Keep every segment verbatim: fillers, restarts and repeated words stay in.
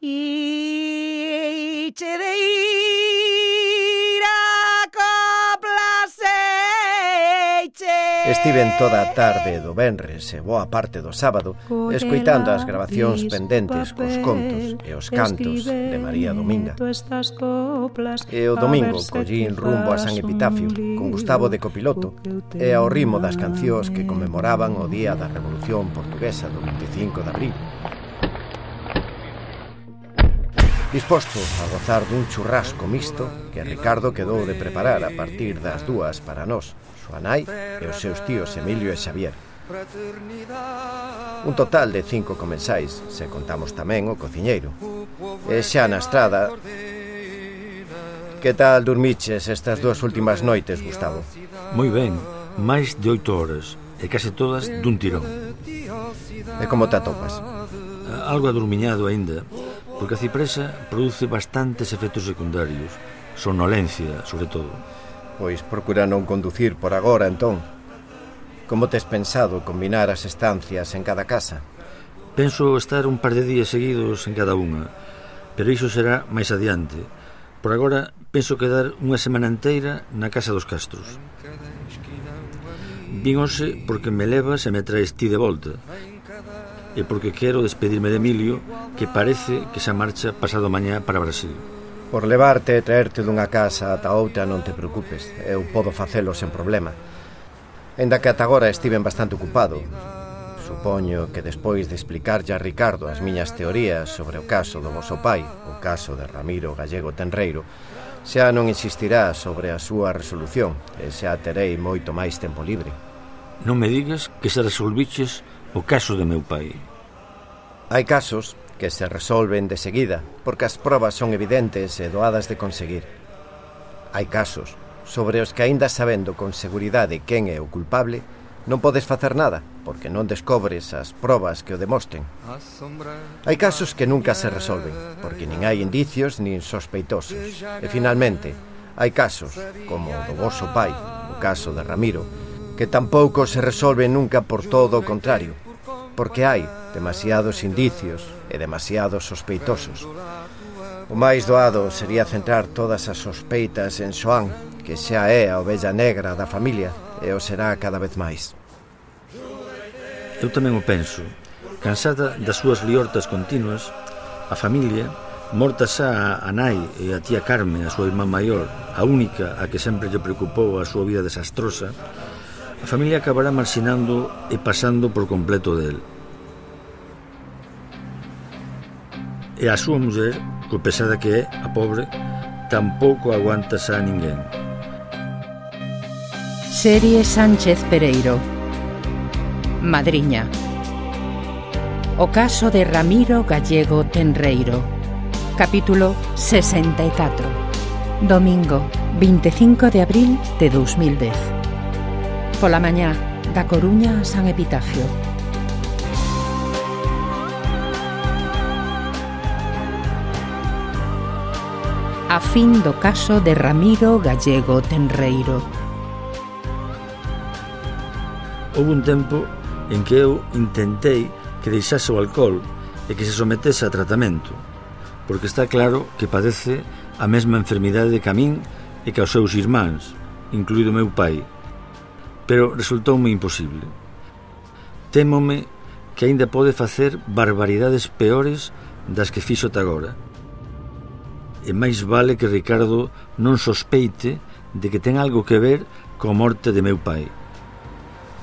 E chedeira coplaseche. Estiven toda a tarde do venres e boa parte do sábado escoitando as grabacións pendentes cos contos e os cantos de María Dominga. E o domingo collín rumbo a San Epitafio con Gustavo de copiloto e ao ritmo das cancións que conmemoraban o día da Revolución Portuguesa do vinte e cinco de abril. Disposto a gozar dun churrasco mixto que Ricardo quedou de preparar a partir das dúas para nós, súa nai e os seus tíos Emilio e Xavier. Un total de cinco comensais, se contamos tamén o cociñeiro. E xa na estrada... Que tal dormiches estas dúas últimas noites, Gustavo? Moi ben, máis de oito horas, e case todas dun tirón. E como te atopas? Algo adormiñado aínda, porque a cipresa produce bastantes efectos secundarios, somnolencia, sobre todo. Pois procura non conducir por agora, entón. Como tes pensado combinar as estancias en cada casa? Penso estar un par de días seguidos en cada unha, pero iso será máis adiante. Por agora, penso quedar unha semana inteira na casa dos Castros. Vin hoxe porque me levas e me traes ti de volta, e porque quero despedirme de Emilio, que parece que xa marcha pasado mañá para Brasil. Por levarte e traerte dunha casa ata outra non te preocupes, eu podo facelo sen problema. Ainda que ata agora estiven bastante ocupado. Supoño que despois de explicarlle a Ricardo as miñas teorías sobre o caso do voso pai, o caso de Ramiro Gallego Tenreiro, xa non insistirá sobre a súa resolución e xa terei moito máis tempo libre. Non me digas que se resolviches o caso de meu pai. Hai casos que se resolven de seguida, porque as probas son evidentes e doadas de conseguir. Hai casos sobre os que, aínda sabendo con seguridade quen é o culpable, non podes facer nada, porque non descobres as probas que o demostren. Hai casos que nunca se resolven, porque nin hai indicios nin sospeitosos. E, finalmente, hai casos, como o do voso pai, o caso de Ramiro, que tampouco se resolven nunca por todo o contrario, porque hai demasiados indicios e demasiados sospeitosos. O máis doado sería centrar todas as sospeitas en Xoán, que xa é a ovella negra da familia e o será cada vez máis. Eu tamén o penso. Cansada das súas liortas continuas, a familia, morta xa a nai e a tía Carmen, a súa irmá maior, a única a que sempre lle preocupou a súa vida desastrosa, a familia acabará marxinando e pasando por completo del. E a súa muller, co pesada que é, a pobre, tampouco aguanta xa a ninguén. Serie Sánchez Pereiro. Madriña. O caso de Ramiro Gallego Tenreiro. Capítulo sesenta e catro. Domingo, vinte e cinco de abril de dos mil dez. Pola mañá, da Coruña a San Epitafio. A fin do caso de Ramiro Gallego Tenreiro. Houve un tempo en que eu intentei que deixase o alcohol e que se sometese a tratamento, porque está claro que padece a mesma enfermidade que a min e que aos seus irmáns, incluído meu pai. Pero resultoume imposible. Témome que aínda pode facer barbaridades peores das que fixo ata agora. E máis vale que Ricardo non sospeite de que ten algo que ver coa morte de meu pai,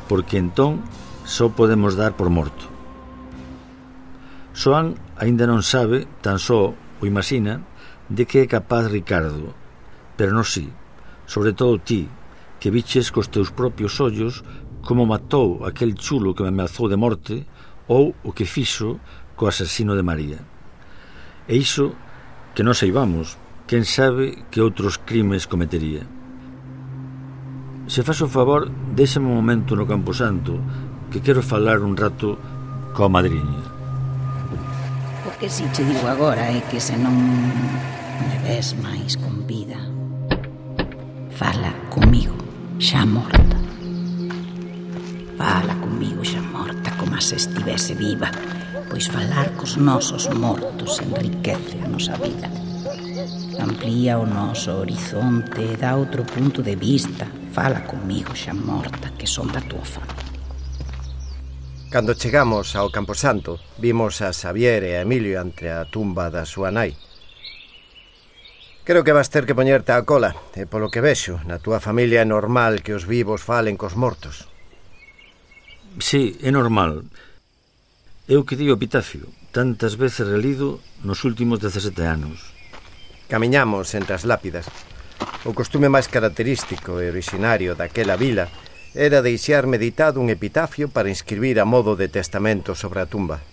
porque entón só podemos dar por morto. Xoán aínda non sabe, tan só o imagina, de que é capaz Ricardo, pero non si, sobre todo ti, que viches cos teus propios ollos como matou aquel chulo que me ameazou de morte ou o que fixo co asasino de María. E iso que non saibamos, quen sabe que outros crimes cometería. Se faz o favor, déxame un momento no Camposanto, que quero falar un rato coa madriña. O que si che digo agora é que se non me ves máis con vida, fala comigo xa morta. Fala comigo xa morta como se estivese viva, Pois falar cos nosos mortos enriquece a nosa vida. Amplía o noso horizonte, dá outro punto de vista. Fala comigo xa morta, que son da túa familia. Cando chegamos ao Camposanto, vimos a Xavier e a Emilio ante a tumba da súa nai. Creo que vas ter que poñerte a cola, e polo que vexo, na túa familia é normal que os vivos falen cos mortos. Sí, é normal. Eu que di o epitafio, tantas veces relido nos últimos dezasete anos. Camiñamos entre as lápidas. O costume máis característico e originario daquela vila era deixar meditado un epitafio para inscribir a modo de testamento sobre a tumba.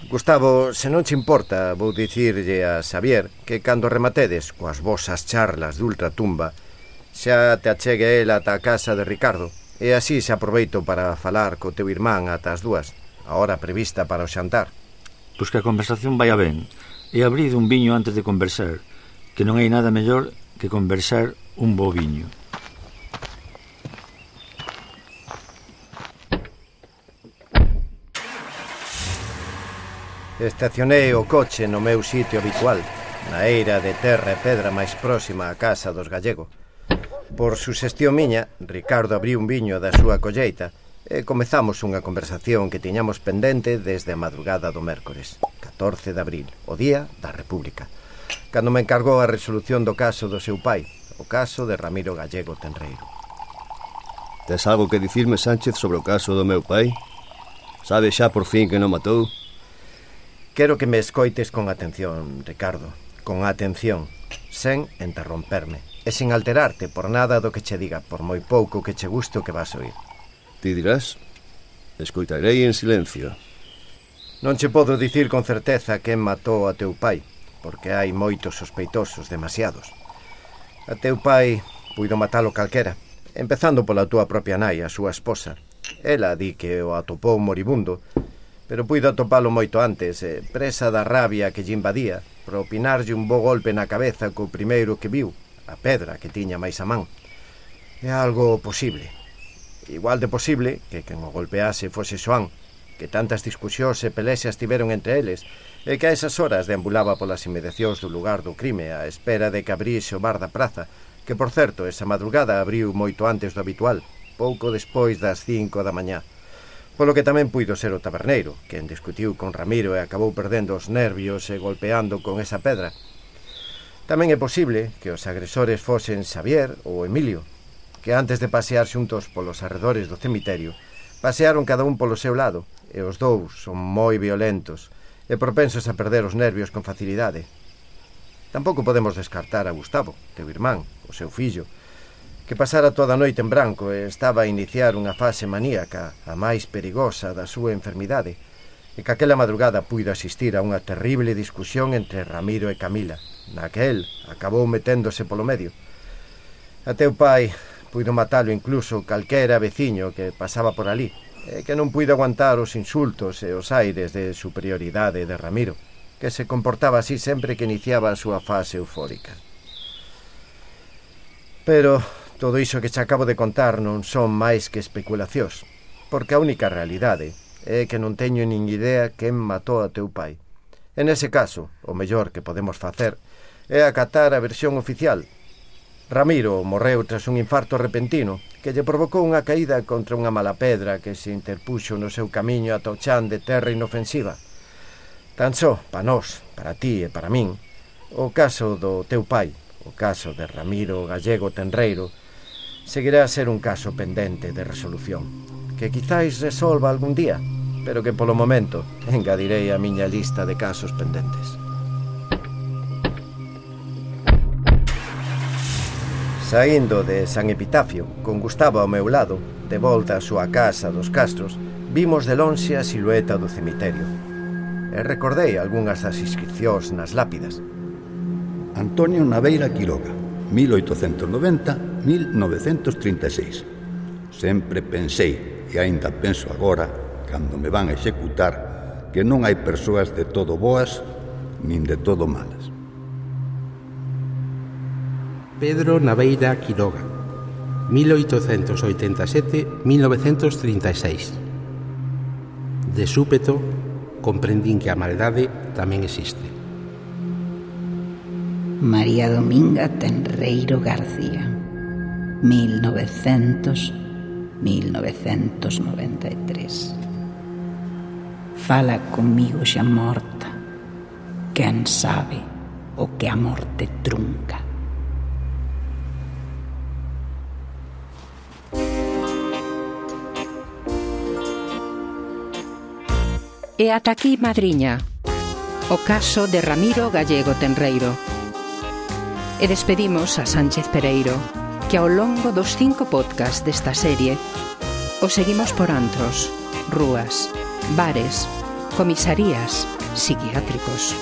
Gustavo, se non te importa, vou dicirlle a Xavier que cando rematedes coas vosas charlas de ultratumba xa te achegue el ata a casa de Ricardo e así se aproveito para falar co teu irmán ata as dúas, a hora prevista para o xantar. Pois que a conversación vai a ben e abrid un viño antes de conversar, que non hai nada mellor que conversar un bo viño. Estacionei o coche no meu sitio habitual, na eira de terra e pedra máis próxima á casa dos Gallego. Por suxestión miña, Ricardo abriu un viño da súa colleita e comezamos unha conversación que tiñamos pendente desde a madrugada do mércores, catorce de abril, o día da República, cando me encargou a resolución do caso do seu pai, o caso de Ramiro Gallego Tenreiro. Tes algo que dicirme, Sánchez, sobre o caso do meu pai? Sabes xa por fin que non matou? Quero que me escoites con atención, Ricardo, con atención, sen interromperme, e sin alterarte por nada do que che diga, por moi pouco que che guste o que vas oír. Ti dirás? Escoitarei en silencio. Non che podo dicir con certeza quen matou a teu pai, porque hai moitos sospeitosos, demasiados. A teu pai puido matalo calquera, empezando pola túa propia nai, a súa esposa. Ela di que o atopou moribundo, pero puido atopalo moito antes, eh, presa da rabia que lle invadía, propinarlle un bo golpe na cabeza co primeiro que viu, a pedra que tiña máis a man. É algo posible. Igual de posible que quen o golpease fose Xoán, que tantas discusións e pelexas tiveron entre eles, e que a esas horas deambulaba polas inmediacións do lugar do crime á espera de que abrise o bar da praza, que, por certo, esa madrugada abriu moito antes do habitual, pouco despois das cinco da mañá. Polo que tamén puido ser o taberneiro, quen discutiu con Ramiro e acabou perdendo os nervios e golpeando con esa pedra. Tamén é posible que os agresores fosen Xavier ou Emilio, que antes de pasear xuntos polos arredores do cemiterio, pasearon cada un polo seu lado, e os dous son moi violentos e propensos a perder os nervios con facilidade. Tampouco podemos descartar a Gustavo, teu irmán, o seu fillo, que pasara toda a noite en branco e estaba a iniciar unha fase maníaca, a máis perigosa da súa enfermidade, e que aquela madrugada puido asistir a unha terrible discusión entre Ramiro e Camila, na que el acabou meténdose polo medio. A teu pai puido matalo incluso calquera veciño que pasaba por ali, e que non puido aguantar os insultos e os aires de superioridade de Ramiro, que se comportaba así sempre que iniciaba a súa fase eufórica. Pero todo iso que che acabo de contar non son máis que especulacións, porque a única realidade é que non teño nin idea quen matou a teu pai. En ese caso, o mellor que podemos facer é acatar a versión oficial. Ramiro morreu tras un infarto repentino que lle provocou unha caída contra unha mala pedra que se interpuxo no seu camiño ata o chan de terra inofensiva. Tan só, para nós, para ti e para min, o caso do teu pai, o caso de Ramiro Gallego Tenreiro, seguirá a ser un caso pendente de resolución, que quizáis resolva algún día, pero que polo momento engadirei a miña lista de casos pendentes. Saíndo de San Epitafio, con Gustavo ao meu lado, de volta á súa casa dos Castros, vimos de lonxe a silueta do cemiterio. E recordei algunhas das inscripcións nas lápidas. Antonio Naveira Quiroga, mil oitocentos noventa a mil novecentos trinta e seis. Sempre pensei, e aínda penso agora, cando me van a executar, que non hai persoas de todo boas nin de todo malas. Pedro Naveira Quiroga, mil oitocentos oitenta e sete a mil novecentos trinta e seis. De súpeto, comprendín que a maldade tamén existe. María Dominga Tenreiro García, mil novecientos a mil novecientos noventa e tres. Fala comigo xa morta, quen sabe o que a morte trunca. E ata aquí, madriña, o caso de Ramiro Gallego Tenreiro. E despedimos a Sánchez Pereiro, que ao longo dos cinco podcasts desta serie o seguimos por antros, rúas, bares, comisarías, psiquiátricos,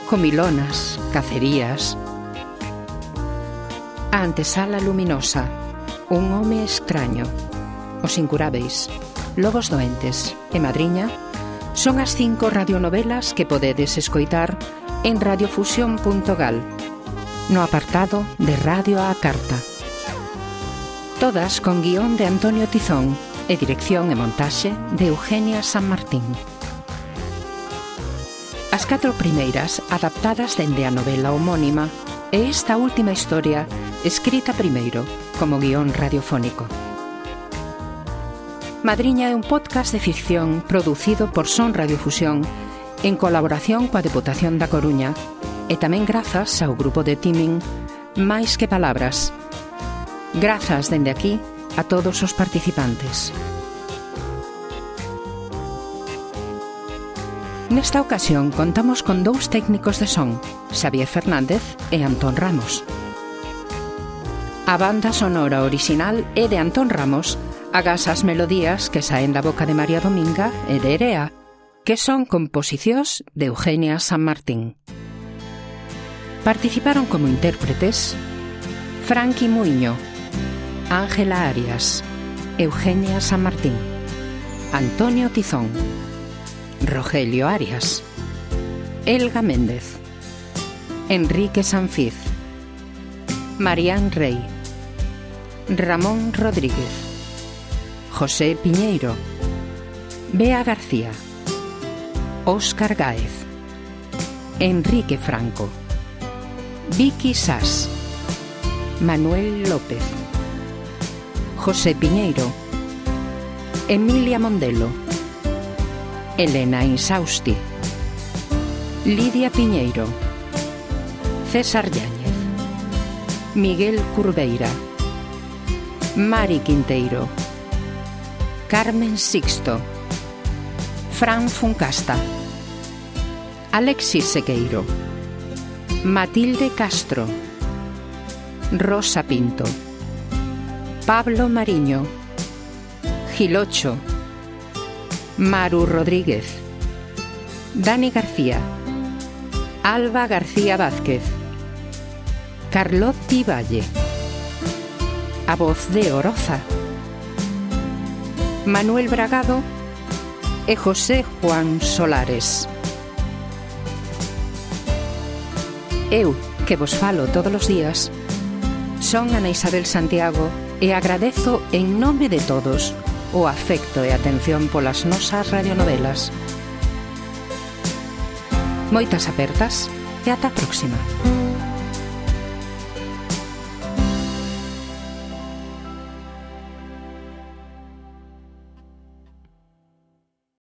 comilonas, cacerías. A antesala luminosa, un home extraño, os incurábeis, lobos doentes e madriña son as cinco radionovelas que podedes escoitar en radiofusión punto gal, no apartado de Radio á Carta. Todas con guión de Antonio Tizón e dirección e montaxe de Eugenia San Martín. As catro primeiras adaptadas dende a novela homónima e esta última historia escrita primeiro como guión radiofónico. Madriña é un podcast de ficción producido por Son Radiofusión en colaboración coa Deputación da Coruña e tamén grazas ao grupo de teaming Máis que Palabras. Grazas dende aquí a todos os participantes. Nesta ocasión contamos con dous técnicos de son, Xavier Fernández e Antón Ramos. A banda sonora orixinal é de Antón Ramos, agás as melodías que saen da boca de María Dominga e de Erea, que son composicións de Eugenia San Martín. Participaron como intérpretes Franqui Muiño, Ángela Arias, Eugenia San Martín, Antonio Tizón, Rogelio Arias, Elga Méndez, Enrique Sanfiz, Marián Rey, Ramón Rodríguez, José Piñeiro, Bea García, Óscar Gáez, Enrique Franco, Vicky Sás, Manuel López, José Piñeiro, Emilia Mondelo, Elena Insausti, Lidia Piñeiro, César Yáñez, Miguel Curveira, Mari Quinteiro, Carmen Sixto, Fran Funcasta, Alexis Sequeiro, Matilde Castro, Rosa Pinto, Pablo Mariño, Gilocho, Maru Rodríguez, Dani García, Alba García Vázquez, Carlotti Valle, a voz de Oroza, Manuel Bragado e José Juan Solares. Eu, que vos falo todos os días, son Ana Isabel Santiago e agradezo en nome de todos o afecto e atención polas nosas radionovelas. Moitas apertas e ata a próxima.